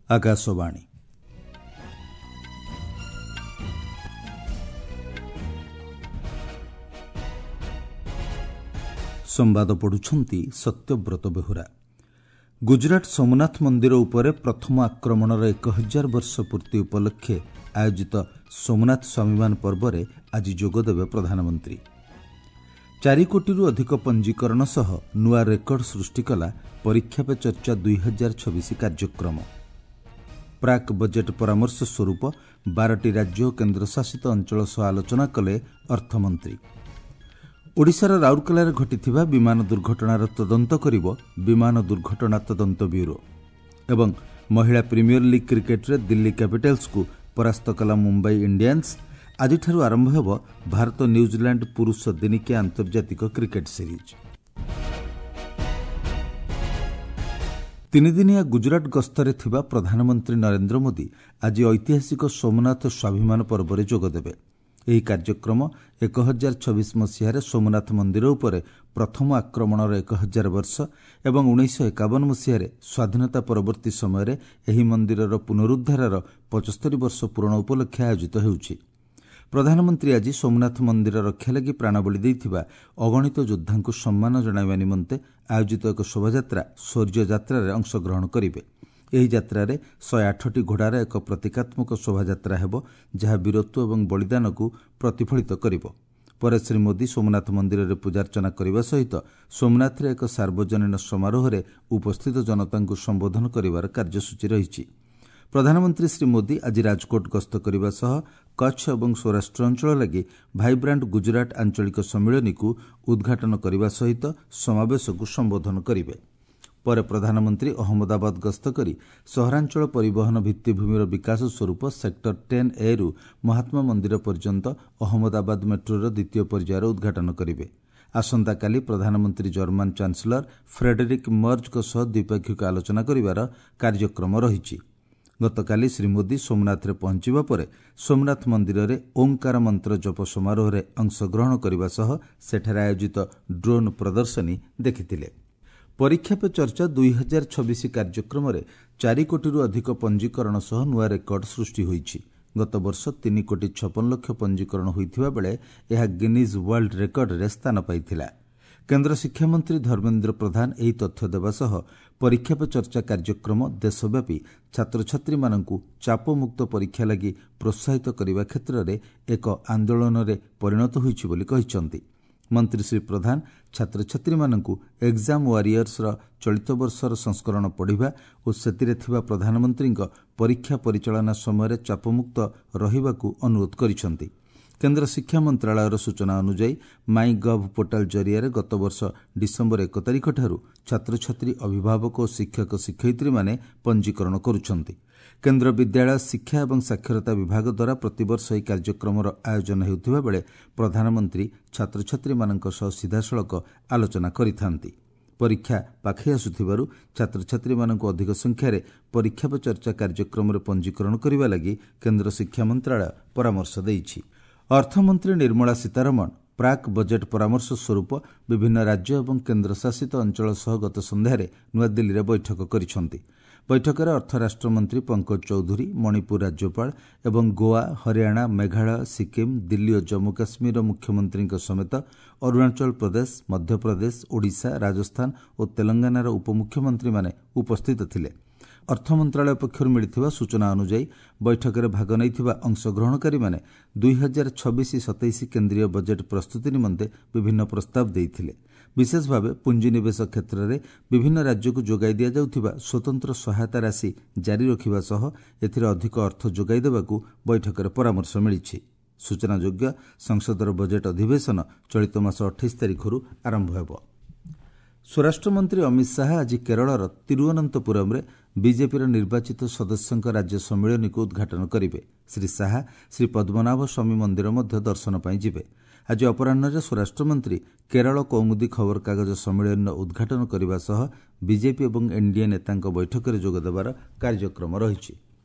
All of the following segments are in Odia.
ଆକାଶବାଣୀ। ସମ୍ବାଦ ପଢ଼ୁଛନ୍ତି ସତ୍ୟବ୍ରତ ବେହୁରା। ଗୁଜରାଟ ସୋମନାଥ ମନ୍ଦିର ଉପରେ ପ୍ରଥମ ଆକ୍ରମଣର 1000 ବର୍ଷ ପୂର୍ତ୍ତି ଉପଲକ୍ଷେ ଆୟୋଜିତ ସୋମନାଥ ସ୍ୱାଭିମାନ ପର୍ବରେ ଆଜି ଯୋଗଦେବେ ପ୍ରଧାନମନ୍ତ୍ରୀ। 4 କୋଟିରୁ ଅଧିକ ପଞ୍ଜୀକରଣ ସହ ନୂଆ ରେକର୍ଡ ସୃଷ୍ଟି କଲା ପରୀକ୍ଷା ପେ ଚର୍ଚ୍ଚା 2026 କାର୍ଯ୍ୟକ୍ରମ। ପ୍ରାକ୍ ବଜେଟ୍ ପରାମର୍ଶ ସ୍ୱରୂପ 12ଟି ରାଜ୍ୟ ଓ କେନ୍ଦ୍ରଶାସିତ ଅଞ୍ଚଳ ସହ ଆଲୋଚନା କଲେ ଅର୍ଥମନ୍ତ୍ରୀ। ଓଡ଼ିଶାର ରାଉରକେଲାରେ ଘଟିଥିବା ବିମାନ ଦୁର୍ଘଟଣାର ତଦନ୍ତ କରିବ ବିମାନ ଦୁର୍ଘଟଣା ତଦନ୍ତ ବ୍ୟୁରୋ। ଏବଂ ମହିଳା ପ୍ରିମିୟର ଲିଗ୍ କ୍ରିକେଟରେ ଦିଲ୍ଲୀ କ୍ୟାପିଟାଲ୍ସକୁ ପରାସ୍ତ କଲା ମୁମ୍ବାଇ ଇଣ୍ଡିଆନ୍ସ। ଆଜିଠାରୁ ଆରମ୍ଭ ହେବ ଭାରତ ନ୍ୟୁଜିଲାଣ୍ଡ ପୁରୁଷ ଦିନିକିଆ ଆନ୍ତର୍ଜାତିକ କ୍ରିକେଟ ସିରିଜ୍। ତିନିଦିନିଆ ଗୁଜରାଟ ଗସ୍ତରେ ଥିବା ପ୍ରଧାନମନ୍ତ୍ରୀ ନରେନ୍ଦ୍ର ମୋଦି ଆଜି ଐତିହାସିକ ସୋମନାଥ ସ୍ୱାଭିମାନ ପର୍ବରେ ଯୋଗଦେବେ। ଏହି କାର୍ଯ୍ୟକ୍ରମ 1026 ମସିହାରେ ସୋମନାଥ ମନ୍ଦିର ଉପରେ ପ୍ରଥମ ଆକ୍ରମଣର 1000 ବର୍ଷ ଏବଂ 1951 ମସିହାରେ ସ୍ୱାଧୀନତା ପରବର୍ତ୍ତୀ ସମୟରେ ଏହି ମନ୍ଦିରର ପୁନରୁଦ୍ଧାରର 75 ବର୍ଷ ପୂରଣ ଉପଲକ୍ଷେ ଆୟୋଜିତ ହେଉଛି। ପ୍ରଧାନମନ୍ତ୍ରୀ ଆଜି ସୋମନାଥ ମନ୍ଦିର ରକ୍ଷା ଲାଗି ପ୍ରାଣବଳି ଦେଇଥିବା ଅଗଣିତ ଯୋଦ୍ଧାଙ୍କୁ ସମ୍ମାନ ଜଣାଇବା ନିମନ୍ତେ ଆୟୋଜିତ ଏକ ଶୋଭାଯାତ୍ରା ଶୌର୍ଯ୍ୟ ଯାତ୍ରାରେ ଅଂଶଗ୍ରହଣ କରିବେ। ଏହି ଯାତ୍ରାରେ 108ଟି ଘୋଡ଼ାର ଏକ ପ୍ରତୀକାତ୍ମକ ଶୋଭାଯାତ୍ରା ହେବ, ଯାହା ବୀରତ୍ୱ ଏବଂ ବଳିଦାନକୁ ପ୍ରତିଫଳିତ କରିବ। ପରେ ଶ୍ରୀ ମୋଦି ସୋମନାଥ ମନ୍ଦିରରେ ପୂଜାର୍ଚ୍ଚନା କରିବା ସହିତ ସୋମନାଥରେ ଏକ ସାର୍ବଜନୀନ ସମାରୋହରେ ଉପସ୍ଥିତ ଜନତାଙ୍କୁ ସମ୍ବୋଧନ କରିବାର କାର୍ଯ୍ୟସୂଚୀ ରହିଛି। ପ୍ରଧାନମନ୍ତ୍ରୀ ଶ୍ରୀ ମୋଦି ଆଜି ରାଜକୋଟ ଗସ୍ତ କରିବା ସହ କଚ୍ଛ ଏବଂ ସୌରାଷ୍ଟ୍ର ଅଞ୍ଚଳ ଲାଗି ଭାଇବ୍ରାଣ୍ଟ ଗୁଜରାଟ ଆଞ୍ଚଳିକ ସମ୍ମିଳନୀକୁ ଉଦ୍ଘାଟନ କରିବା ସହିତ ସମାବେଶକୁ ସମ୍ବୋଧନ କରିବେ। ପରେ ପ୍ରଧାନମନ୍ତ୍ରୀ ଅହମ୍ମଦାବାଦ ଗସ୍ତ କରି ସହରାଞ୍ଚଳ ପରିବହନ ଭିତ୍ତିଭୂମିର ବିକାଶ ସ୍ୱରୂପ ସେକ୍ଟର 10Aରୁ ମହାତ୍ମା ମନ୍ଦିର ପର୍ଯ୍ୟନ୍ତ ଅହମ୍ମଦାବାଦ ମେଟ୍ରୋର ଦ୍ୱିତୀୟ ପର୍ଯ୍ୟାୟର ଉଦ୍ଘାଟନ କରିବେ। ଆସନ୍ତାକାଲି ପ୍ରଧାନମନ୍ତ୍ରୀ ଜର୍ମାନ ଚାନ୍ସେଲର ଫ୍ରେଡେରିକ୍ ମର୍ଜଙ୍କ ସହ ଦ୍ୱିପାକ୍ଷିକ ଆଲୋଚନା କରିବାର କାର୍ଯ୍ୟକ୍ରମ ରହିଛି। ଗତକାଲି ଶ୍ରୀ ମୋଦି ସୋମନାଥରେ ପହଞ୍ଚିବା ପରେ ସୋମନାଥ ମନ୍ଦିରରେ ଓଁକାର ମନ୍ତ୍ର ଜପ ସମାରୋହରେ ଅଂଶଗ୍ରହଣ କରିବା ସହ ସେଠାରେ ଆୟୋଜିତ ଡ୍ରୋନ୍ ପ୍ରଦର୍ଶନୀ ଦେଖିଥିଲେ। ପରୀକ୍ଷା ପେ ଚର୍ଚ୍ଚା 2026 କାର୍ଯ୍ୟକ୍ରମରେ 4 କୋଟିରୁ ଅଧିକ ପଞ୍ଜୀକରଣ ସହ ନୂଆ ରେକର୍ଡ ସୃଷ୍ଟି ହୋଇଛି। ଗତବର୍ଷ 3 କୋଟି 56 ଲକ୍ଷ ପଞ୍ଜୀକରଣ ହୋଇଥିବା ବେଳେ ଏହା ଗିନିଜ୍ ୱାର୍ଲଡ ରେକର୍ଡରେ ସ୍ଥାନ ପାଇଥିଲା। କେନ୍ଦ୍ର ଶିକ୍ଷାମନ୍ତ୍ରୀ ଧର୍ମେନ୍ଦ୍ର ପ୍ରଧାନ ଏହି ତଥ୍ୟ ଦେବା ସହ ପରୀକ୍ଷା ପେ ଚର୍ଚ୍ଚା କାର୍ଯ୍ୟକ୍ରମ ଦେଶବ୍ୟାପୀ ଛାତ୍ରଛାତ୍ରୀମାନଙ୍କୁ ଚାପମୁକ୍ତ ପରୀକ୍ଷା ଲାଗି ପ୍ରୋତ୍ସାହିତ କରିବା କ୍ଷେତ୍ରରେ ଏକ ଆନ୍ଦୋଳନରେ ପରିଣତ ହୋଇଛି ବୋଲି କହିଛନ୍ତି। ମନ୍ତ୍ରୀ ଶ୍ରୀ ପ୍ରଧାନ ଛାତ୍ରଛାତ୍ରୀମାନଙ୍କୁ ଏକ୍ଜାମ୍ ୱାରିୟର୍ସର ଚଳିତ ବର୍ଷର ସଂସ୍କରଣ ପଢ଼ିବା ଓ ସେଥିରେ ଥିବା ପ୍ରଧାନମନ୍ତ୍ରୀଙ୍କ ପରୀକ୍ଷା ପରିଚାଳନା ସମୟରେ ଚାପମୁକ୍ତ ରହିବାକୁ ଅନୁରୋଧ କରିଛନ୍ତି। କେନ୍ଦ୍ର ଶିକ୍ଷା ମନ୍ତ୍ରଣାଳୟର ସୂଚନା ଅନୁଯାୟୀ ମାଇ ଗଭ୍ ପୋର୍ଟାଲ ଜରିଆରେ ଗତବର୍ଷ ଡିସେମ୍ବର 1 ତାରିଖଠାରୁ ଛାତ୍ରଛାତ୍ରୀ, ଅଭିଭାବକ ଓ ଶିକ୍ଷକ ଶିକ୍ଷୟିତ୍ରୀମାନେ ପଞ୍ଜୀକରଣ କରୁଛନ୍ତି। କେନ୍ଦ୍ର ବିଦ୍ୟାଳୟ ଶିକ୍ଷା ଏବଂ ସାକ୍ଷରତା ବିଭାଗ ଦ୍ୱାରା ପ୍ରତିବର୍ଷ ଏହି କାର୍ଯ୍ୟକ୍ରମର ଆୟୋଜନ ହେଉଥିବା ବେଳେ ପ୍ରଧାନମନ୍ତ୍ରୀ ଛାତ୍ରଛାତ୍ରୀମାନଙ୍କ ସହ ସିଧାସଳଖ ଆଲୋଚନା କରିଥାନ୍ତି। ପରୀକ୍ଷା ପାଖେଇ ଆସୁଥିବାରୁ ଛାତ୍ରଛାତ୍ରୀମାନଙ୍କୁ ଅଧିକ ସଂଖ୍ୟାରେ ପରୀକ୍ଷା ପେ ଚର୍ଚ୍ଚା କାର୍ଯ୍ୟକ୍ରମରେ ପଞ୍ଜୀକରଣ କରିବା ଲାଗି କେନ୍ଦ୍ର ଶିକ୍ଷା ମନ୍ତ୍ରଣାଳୟ ପରାମର୍ଶ ଦେଇଛି। ଅର୍ଥମନ୍ତ୍ରୀ ନିର୍ମଳା ସୀତାରମଣ ପ୍ରାକ୍ ବଜେଟ୍ ପରାମର୍ଶ ସ୍ୱରୂପ ବିଭିନ୍ନ ରାଜ୍ୟ ଏବଂ କେନ୍ଦ୍ରଶାସିତ ଅଞ୍ଚଳ ସହ ଗତ ସନ୍ଧ୍ୟାରେ ନୂଆଦିଲ୍ଲୀରେ ବୈଠକ କରିଛନ୍ତି। ବୈଠକରେ ଅର୍ଥ ରାଷ୍ଟ୍ରମନ୍ତ୍ରୀ ପଙ୍କଜ ଚୌଧୁରୀ, ମଣିପୁର ରାଜ୍ୟପାଳ ଏବଂ ଗୋଆ, ହରିୟାଣା, ମେଘାଳୟ, ସିକିମ୍, ଦିଲ୍ଲୀ ଓ ଜମ୍ମୁ କାଶ୍ମୀରର ମୁଖ୍ୟମନ୍ତ୍ରୀଙ୍କ ସମେତ ଅରୁଣାଚଳ ପ୍ରଦେଶ, ମଧ୍ୟପ୍ରଦେଶ, ଓଡ଼ିଶା, ରାଜସ୍ଥାନ ଓ ତେଲଙ୍ଗାନାର ଉପମୁଖ୍ୟମନ୍ତ୍ରୀମାନେ ଉପସ୍ଥିତ ଥିଲେ। ଅର୍ଥ ମନ୍ତ୍ରଣାଳୟ ପକ୍ଷରୁ ମିଳିଥିବା ସୂଚନା ଅନୁଯାୟୀ ବୈଠକରେ ଭାଗ ନେଇଥିବା ଅଂଶଗ୍ରହଣକାରୀମାନେ 2026-27 କେନ୍ଦ୍ରୀୟ ବଜେଟ୍ ପ୍ରସ୍ତୁତି ନିମନ୍ତେ ବିଭିନ୍ନ ପ୍ରସ୍ତାବ ଦେଇଥିଲେ। ବିଶେଷ ଭାବେ ପୁଞ୍ଜିନିବେଶ କ୍ଷେତ୍ରରେ ବିଭିନ୍ନ ରାଜ୍ୟକୁ ଯୋଗାଇ ଦିଆଯାଉଥିବା ସ୍ୱତନ୍ତ୍ର ସହାୟତା ରାଶି ଜାରି ରଖିବା ସହ ଏଥିରେ ଅଧିକ ଅର୍ଥ ଯୋଗାଇ ଦେବାକୁ ବୈଠକରେ ପରାମର୍ଶ ମିଳିଛି। ସୂଚନାଯୋଗ୍ୟ, ସଂସଦର ବଜେଟ୍ ଅଧିବେଶନ ଚଳିତ ମାସ 28 ତାରିଖରୁ ଆରମ୍ଭ ହେବ। ସ୍ୱରାଷ୍ଟ୍ରମନ୍ତ୍ରୀ ଅମିତ ଶାହା ଆଜି କେରଳର ତିରୁଅନନ୍ତପୁରମରେ ବିଜେପିର ନିର୍ବାଚିତ ସଦସ୍ୟଙ୍କ ରାଜ୍ୟ ସମ୍ମିଳନୀକୁ ଉଦ୍ଘାଟନ କରିବେ। ଶ୍ରୀ ଶାହା ଶ୍ରୀ ପଦ୍ମନାଭ ସ୍ୱାମୀ ମନ୍ଦିର ମଧ୍ୟ ଦର୍ଶନ ପାଇଁ ଯିବେ। ଆଜି ଅପରାହ୍ନରେ ସ୍ୱରାଷ୍ଟ୍ରମନ୍ତ୍ରୀ କେରଳ କୌମୁଦୀ ଖବରକାଗଜ ସମ୍ମିଳନୀର ଉଦ୍ଘାଟନ କରିବା ସହ ବିଜେପି ଏବଂ ଏନ୍ଡିଏ ନେତାଙ୍କ ବୈଠକରେ ଯୋଗଦେବାର କାର୍ଯ୍ୟକ୍ରମ ରହିଛି।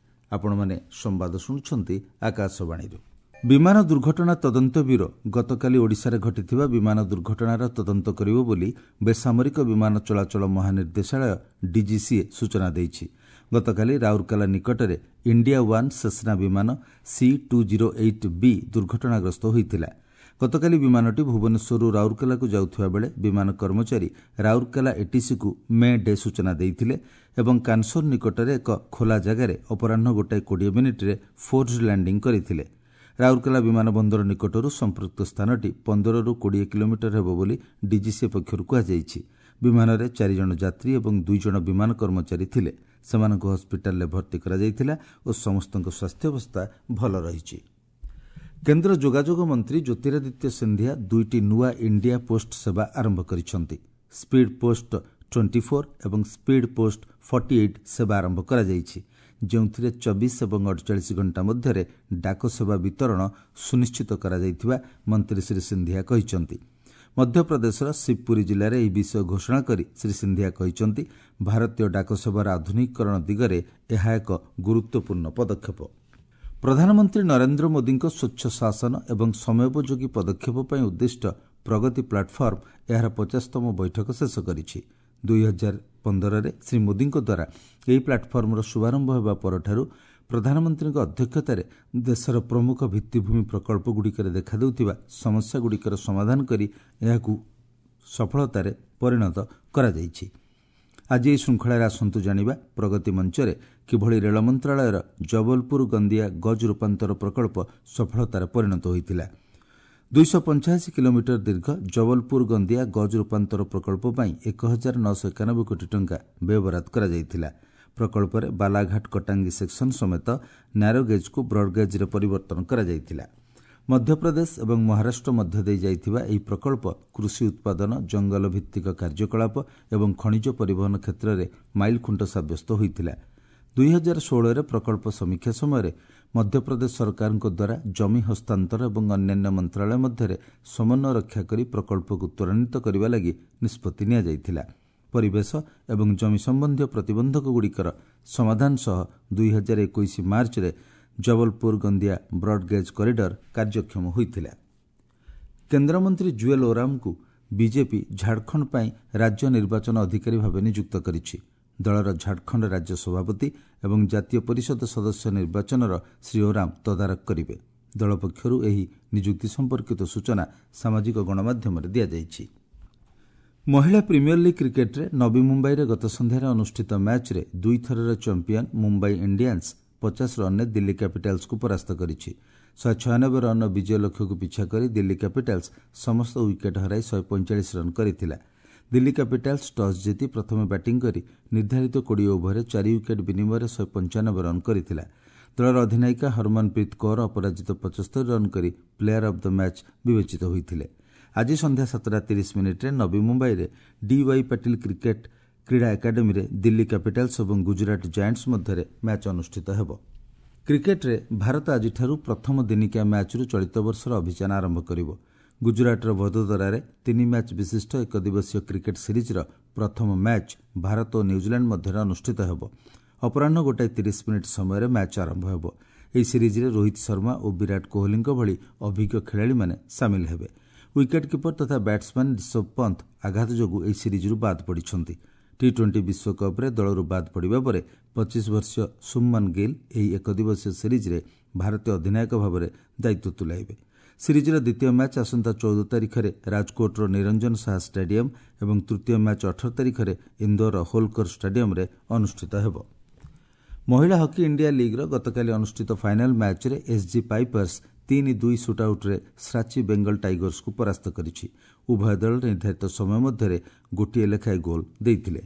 ଆପଣମାନେ ସମ୍ବାଦ ଶୁଣୁଛନ୍ତି ଆକାଶବାଣୀରୁ। ବିମାନ ଦୁର୍ଘଟଣା ତଦନ୍ତ ବ୍ୟୁରୋ ଗତକାଲି ଓଡ଼ିଶାରେ ଘଟିଥିବା ବିମାନ ଦୁର୍ଘଟଣାର ତଦନ୍ତ କରିବ ବୋଲି ବେସାମରିକ ବିମାନ ଚଳାଚଳ ମହାନିର୍ଦ୍ଦେଶାଳୟ ଡିଜିସିଏ ସୂଚନା ଦେଇଛି। ଗତକାଲି ରାଉରକେଲା ନିକଟରେ ଇଣ୍ଡିଆ ୱାନ୍ ସେସ୍ନା ବିମାନ C-208B ଦୁର୍ଘଟଣାଗ୍ରସ୍ତ ହୋଇଥିଲା। ଗତକାଲି ବିମାନଟି ଭୁବନେଶ୍ୱରରୁ ରାଉରକେଲାକୁ ଯାଉଥିବା ବେଳେ ବିମାନ କର୍ମଚାରୀ ରାଉରକେଲା ଏଟିସିକୁ ମେ ଡେ ସୂଚନା ଦେଇଥିଲେ ଏବଂ କାନସୋର ନିକଟରେ ଏକ ଖୋଲା ଜାଗାରେ ଅପରାହ୍ନ 1:20 ଫୋର୍ସଡ୍ ଲ୍ୟାଣ୍ଡିଂ କରିଥିଲେ। ରାଉରକେଲା ବିମାନ ବନ୍ଦର ନିକଟରୁ ସମ୍ପୃକ୍ତ ସ୍ଥାନଟି 15ରୁ 20 କିଲୋମିଟର ହେବ ବୋଲି ଡିଜିସିଏ ପକ୍ଷରୁ କୁହାଯାଇଛି। ବିମାନରେ 4 ଜଣ ଯାତ୍ରୀ ଏବଂ 2 ଜଣ ବିମାନ କର୍ମଚାରୀ ଥିଲେ। ସେମାନଙ୍କୁ ହସ୍ପିଟାଲରେ ଭର୍ତ୍ତି କରାଯାଇଥିଲା ଓ ସମସ୍ତଙ୍କ ସ୍ୱାସ୍ଥ୍ୟାବସ୍ଥା ଭଲ ରହିଛି। କେନ୍ଦ୍ର ଯୋଗାଯୋଗ ମନ୍ତ୍ରୀ ଜ୍ୟୋତିରାଦିତ୍ୟ ସିନ୍ଧିଆ 2ଟି ନୂଆ ଇଣ୍ଡିଆ ପୋଷ୍ଟ ସେବା ଆରମ୍ଭ କରିଛନ୍ତି। ସ୍ପିଡ୍ ପୋଷ୍ଟ 24 ଏବଂ ସ୍ପିଡ୍ ପୋଷ୍ଟ 48 ସେବା ଆରମ୍ଭ କରାଯାଇଛି, ଯେଉଁଥିରେ 24 ଏବଂ 48 ଘଣ୍ଟା ମଧ୍ୟରେ ଡାକ ସେବା ବିତରଣ ସୁନିଶ୍ଚିତ କରାଯାଇଥିବା ମନ୍ତ୍ରୀ ଶ୍ରୀ ସିନ୍ଧିଆ କହିଛନ୍ତି। ମଧ୍ୟପ୍ରଦେଶର ଶିବପୁରୀ ଜିଲ୍ଲାରେ ଏହି ବିଷୟ ଘୋଷଣା କରି ଶ୍ରୀ ସିନ୍ଧିଆ କହିଛନ୍ତି, ଭାରତୀୟ ଡାକସେବାର ଆଧୁନିକୀକରଣ ଦିଗରେ ଏହା ଏକ ଗୁରୁତ୍ୱପୂର୍ଣ୍ଣ ପଦକ୍ଷେପ। ପ୍ରଧାନମନ୍ତ୍ରୀ ନରେନ୍ଦ୍ର ମୋଦିଙ୍କ ସ୍ୱଚ୍ଛ ଶାସନ ଏବଂ ସମୟୋପଯୋଗୀ ପଦକ୍ଷେପ ପାଇଁ ଉଦ୍ଦିଷ୍ଟ ପ୍ରଗତି ପ୍ଲାଟଫର୍ମ ଏହାର 50ତମ ବୈଠକ ଶେଷ କରିଛି। 2015ରେ ଶ୍ରୀ ମୋଦିଙ୍କ ଦ୍ୱାରା ଏହି ପ୍ଲାଟଫର୍ମର ଶୁଭାରମ୍ଭ ହେବା ପରଠାରୁ ପ୍ରଧାନମନ୍ତ୍ରୀଙ୍କ ଅଧ୍ୟକ୍ଷତାରେ ଦେଶର ପ୍ରମୁଖ ଭିତ୍ତିଭୂମି ପ୍ରକଳ୍ପଗୁଡ଼ିକରେ ଦେଖାଦେଉଥିବା ସମସ୍ୟାଗୁଡ଼ିକର ସମାଧାନ କରି ଏହାକୁ ସଫଳତାରେ ପରିଣତ କରାଯାଇଛି। ଆଜି ଏହି ଶୃଙ୍ଖଳାରେ ଆସନ୍ତୁ ଜାଣିବା ପ୍ରଗତି ମଞ୍ଚରେ କିଭଳି ରେଳ ମନ୍ତ୍ରଣାଳୟର ଜବଲପୁର ଗନ୍ଦିଆ ଗଜ୍ ରୂପାନ୍ତର ପ୍ରକଳ୍ପ ସଫଳତାରେ ପରିଣତ ହୋଇଥିଲା। 285 କିଲୋମିଟର ଦୀର୍ଘ ଜବଲପୁର ଗନ୍ଦିଆ ଗଜ୍ ରୂପାନ୍ତର ପ୍ରକଳ୍ପ ପାଇଁ 1991 କୋଟି ଟଙ୍କା ବ୍ୟୟବରାଦ କରାଯାଇଥିଲା। ପ୍ରକଳ୍ପରେ ବାଲାଘାଟ କଟାଙ୍ଗୀ ସେକ୍ସନ ସମେତ ନ୍ୟାରୋଗେଜ୍କୁ ବ୍ରଡ୍ଗେଜ୍ରେ ପରିବର୍ତ୍ତନ କରାଯାଇଥିଲା। ମଧ୍ୟପ୍ରଦେଶ ଏବଂ ମହାରାଷ୍ଟ୍ର ମଧ୍ୟ ଦେଇ ଯାଇଥିବା ଏହି ପ୍ରକଳ୍ପ କୃଷି ଉତ୍ପାଦନ, ଜଙ୍ଗଲ ଭିତ୍ତିକ କାର୍ଯ୍ୟକଳାପ ଏବଂ ଖଣିଜ ପରିବହନ କ୍ଷେତ୍ରରେ ମାଇଲଖୁଣ୍ଟ ସାବ୍ୟସ୍ତ ହୋଇଥିଲା। 2016ରେ ପ୍ରକଳ୍ପ ସମୀକ୍ଷା ସମୟରେ ମଧ୍ୟପ୍ରଦେଶ ସରକାରଙ୍କ ଦ୍ୱାରା ଜମି ହସ୍ତାନ୍ତର ଏବଂ ଅନ୍ୟାନ୍ୟ ମନ୍ତ୍ରଣାଳୟ ମଧ୍ୟରେ ସମନ୍ୱୟ ରକ୍ଷା କରି ପ୍ରକଳ୍ପକୁ ତ୍ୱରାନ୍ୱିତ କରିବା ଲାଗି ନିଷ୍ପତ୍ତି ନିଆଯାଇଥିଲା। ପରିବେଶ ଏବଂ ଜମି ସମ୍ବନ୍ଧୀୟ ପ୍ରତିବନ୍ଧକଗୁଡ଼ିକର ସମାଧାନ ସହ 2021 ମାର୍ଚ୍ଚରେ ଜବଲପୁର ଗନ୍ଦିଆ ବ୍ରଡ୍ଗେଜ୍ କରିଡର କାର୍ଯ୍ୟକ୍ଷମ ହୋଇଥିଲା। କେନ୍ଦ୍ରମନ୍ତ୍ରୀ ଜୁଏଲ୍ ଓରାମଙ୍କୁ ବିଜେପି ଝାଡ଼ଖଣ୍ଡ ପାଇଁ ରାଜ୍ୟ ନିର୍ବାଚନ ଅଧିକାରୀ ଭାବେ ନିଯୁକ୍ତ କରିଛି। ଦଳର ଝାଡ଼ଖଣ୍ଡ ରାଜ୍ୟ ସଭାପତି ଏବଂ ଜାତୀୟ ପରିଷଦ ସଦସ୍ୟ ନିର୍ବାଚନର ଶ୍ରୀ ଓରାମ ତଦାରଖ କରିବେ। ଦଳ ପକ୍ଷରୁ ଏହି ନିଯୁକ୍ତି ସମ୍ପର୍କିତ ସୂଚନା ସାମାଜିକ ଗଣମାଧ୍ୟମରେ ଦିଆଯାଇଛି। ମହିଳା ପ୍ରିମିୟର ଲିଗ୍ କ୍ରିକେଟ୍ରେ ନବୀ ମୁମ୍ବାଇରେ ଗତ ସନ୍ଧ୍ୟାରେ ଅନୁଷ୍ଠିତ ମ୍ୟାଚ୍ରେ 2ଥରର ଚାମ୍ପିୟନ୍ ମୁମ୍ବାଇ ଇଣ୍ଡିଆନ୍ସ 50 ରନ୍ରେ ଦିଲ୍ଲୀ କ୍ୟାପିଟାଲ୍ସକୁ ପରାସ୍ତ କରିଛି। 196 ରନ୍ର ବିଜୟ ଲକ୍ଷ୍ୟକୁ ପିଛା କରି ଦିଲ୍ଲୀ କ୍ୟାପିଟାଲ୍ସ ସମସ୍ତ ୱିକେଟ୍ ହରାଇ 145 ରନ୍ କରିଥିଲା। ଦିଲ୍ଲୀ କ୍ୟାପିଟାଲ୍ସ ଟସ୍ ଜିତି ପ୍ରଥମେ ବ୍ୟାଟିଂ କରି ନିର୍ଦ୍ଧାରିତ 20 ଓଭରରେ 4 ୱିକେଟ୍ ବିନିମୟରେ 195 ରନ୍ କରିଥିଲା। ଦଳର ଅଧିନାୟିକା ହରମନପ୍ରୀତ କୌର ଅପରାଜିତ 75 ରନ୍ କରି ପ୍ଲେୟାର ଅଫ୍ the match ବିବେଚିତ ହୋଇଥିଲେ। ଆଜି ସନ୍ଧ୍ୟା 7:30 ନବୀ ମୁମ୍ବାଇରେ ଡିୱାଇ ପାଟିଲ କ୍ରିକେଟ୍ କ୍ରୀଡ଼ା ଏକାଡେମୀରେ ଦିଲ୍ଲୀ କ୍ୟାପିଟାଲ୍ସ ଏବଂ ଗୁଜରାଟ ଜାଏଣ୍ଟସ୍ ମଧ୍ୟରେ ମ୍ୟାଚ୍ ଅନୁଷ୍ଠିତ ହେବ। କ୍ରିକେଟ୍ରେ ଭାରତ ଆଜିଠାରୁ ପ୍ରଥମ ଦିନିକିଆ ମ୍ୟାଚ୍ରୁ ଚଳିତ ବର୍ଷର ଅଭିଯାନ ଆରମ୍ଭ କରିବ। ଗୁଜରାଟର ଭଦୋଦରାରେ 3 ମ୍ୟାଚ୍ ବିଶିଷ୍ଟ ଏକଦିବସୀୟ କ୍ରିକେଟ୍ ସିରିଜ୍ର ପ୍ରଥମ ମ୍ୟାଚ୍ ଭାରତ ଓ ନ୍ୟୁଜିଲାଣ୍ଡ ମଧ୍ୟରେ ଅନୁଷ୍ଠିତ ହେବ। ଅପରାହ୍ନ 1:30 ସମୟରେ ମ୍ୟାଚ୍ ଆରମ୍ଭ ହେବ। ଏହି ସିରିଜ୍ରେ ରୋହିତ ଶର୍ମା ଓ ବିରାଟ କୋହଲିଙ୍କ ଭଳି ଅଭିଜ୍ଞ ଖେଳାଳିମାନେ ସାମିଲ ହେବେ। ୱିକେଟ୍ କିପର ତଥା ବ୍ୟାଟ୍ସମ୍ୟାନ୍ ରିଷଭ ପନ୍ଥ ଆଘାତ ଯୋଗୁଁ ଏହି ସିରିଜ୍ରୁ ବାଦ୍ ପଡ଼ିଛନ୍ତି। ଟି-20 ବିଶ୍ୱକପ୍ରେ ଦଳରୁ ବାଦ୍ ପଡ଼ିବା ପରେ 25 ବର୍ଷୀୟ ଶୁଭମନ ଗିଲ୍ ଏହି ଏକଦିବସୀୟ ସିରିଜ୍ରେ ଭାରତୀୟ ଅଧିନାୟକ ଭାବରେ ଦାୟିତ୍ୱ ତୁଲାଇବେ। ସିରିଜ୍ର ଦ୍ୱିତୀୟ ମ୍ୟାଚ୍ ଆସନ୍ତା 14 ତାରିଖରେ ରାଜକୋଟର ନିରଞ୍ଜନ ଶାହା ଷ୍ଟାଡିୟମ୍ ଏବଂ ତୃତୀୟ ମ୍ୟାଚ୍ 18 ତାରିଖରେ ଇନ୍ଦୋରର ହୋଲକର ଷ୍ଟାଡିୟମ୍ରେ ଅନୁଷ୍ଠିତ ହେବ। ମହିଳା ହକି ଇଣ୍ଡିଆ ଲିଗ୍ର ଗତକାଲି ଅନୁଷ୍ଠିତ ଫାଇନାଲ୍ ମ୍ୟାଚ୍ରେ ଏସ୍ଜି ପାଇପର୍ସ 3-2 ସୁଟ୍ଆଉଟ୍ରେ ଶ୍ରାଚି ବେଙ୍ଗଲ ଟାଇଗର୍ସକୁ ପରାସ୍ତ କରିଛି। ଉଭୟ ଦଳ ନିର୍ଦ୍ଧାରିତ ସମୟ ମଧ୍ୟରେ ଗୋଟିଏ ଲେଖାଏଁ ଗୋଲ୍ ଦେଇଥିଲେ।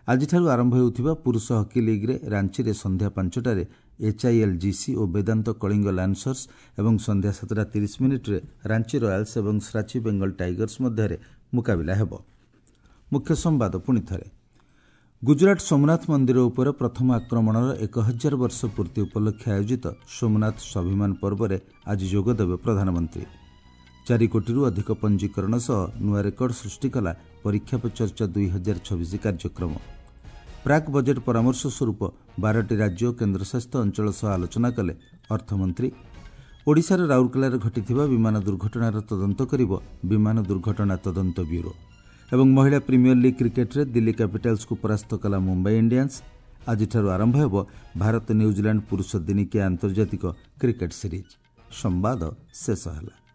ଆଜିଠାରୁ ଆରମ୍ଭ ହେଉଥିବା ପୁରୁଷ ହକି ଲିଗ୍ରେ ରାଞ୍ଚିରେ ସନ୍ଧ୍ୟା 5ଟାରେ ଏଚ୍ଆଇଏଲ୍ଜିସି ଓ ବେଦାନ୍ତ କଳିଙ୍ଗ ଲାନ୍ସର୍ସ ଏବଂ ସନ୍ଧ୍ୟା 7:30 ରାଞ୍ଚି ରୟାଲ୍ସ ଏବଂ ଶ୍ରାଚି ବେଙ୍ଗଲ ଟାଇଗର୍ସ ମଧ୍ୟରେ ମୁକାବିଲା ହେବ। ମୁଖ୍ୟ ସମ୍ବାଦ ପୁଣି ଥରେ। ଗୁଜରାଟ ସୋମନାଥ ମନ୍ଦିର ଉପରେ ପ୍ରଥମ ଆକ୍ରମଣର 1000 ବର୍ଷ ପୂର୍ତ୍ତି ଉପଲକ୍ଷେ ଆୟୋଜିତ ସୋମନାଥ ସ୍ୱାଭିମାନ ପର୍ବରେ ଆଜି ଯୋଗଦେବେ ପ୍ରଧାନମନ୍ତ୍ରୀ। 4 କୋଟିରୁ ଅଧିକ ପଞ୍ଜୀକରଣ ସହ ନୂଆ ରେକର୍ଡ ସୃଷ୍ଟି କଲା ପରୀକ୍ଷା ପେ ଚର୍ଚ୍ଚା 2026 କାର୍ଯ୍ୟକ୍ରମ। ପ୍ରାକ୍ ବଜେଟ୍ ପରାମର୍ଶ ସ୍ୱରୂପ 12ଟି ରାଜ୍ୟ ଓ କେନ୍ଦ୍ରଶାସିତ ଅଞ୍ଚଳ ସହ ଆଲୋଚନା କଲେ ଅର୍ଥମନ୍ତ୍ରୀ। ଓଡ଼ିଶାର ରାଉରକେଲାରେ ଘଟିଥିବା ବିମାନ ଦୁର୍ଘଟଣାର ତଦନ୍ତ କରିବ ବିମାନ ଦୁର୍ଘଟଣା ତଦନ୍ତ ବ୍ୟୁରୋ। ଏବଂ ମହିଳା ପ୍ରିମିୟର ଲିଗ୍ କ୍ରିକେଟ୍ରେ ଦିଲ୍ଲୀ କ୍ୟାପିଟାଲ୍ସକୁ ପରାସ୍ତ କଲା ମୁମ୍ବାଇ ଇଣ୍ଡିଆନ୍ସ। ଆଜିଠାରୁ ଆରମ୍ଭ ହେବ ଭାରତ ନ୍ୟୁଜିଲାଣ୍ଡ ପୁରୁଷ ଦିନିକିଆ ଆନ୍ତର୍ଜାତିକ କ୍ରିକେଟ୍ ସିରିଜ୍। ସମ୍ବାଦ ଶେଷ ହେଲା।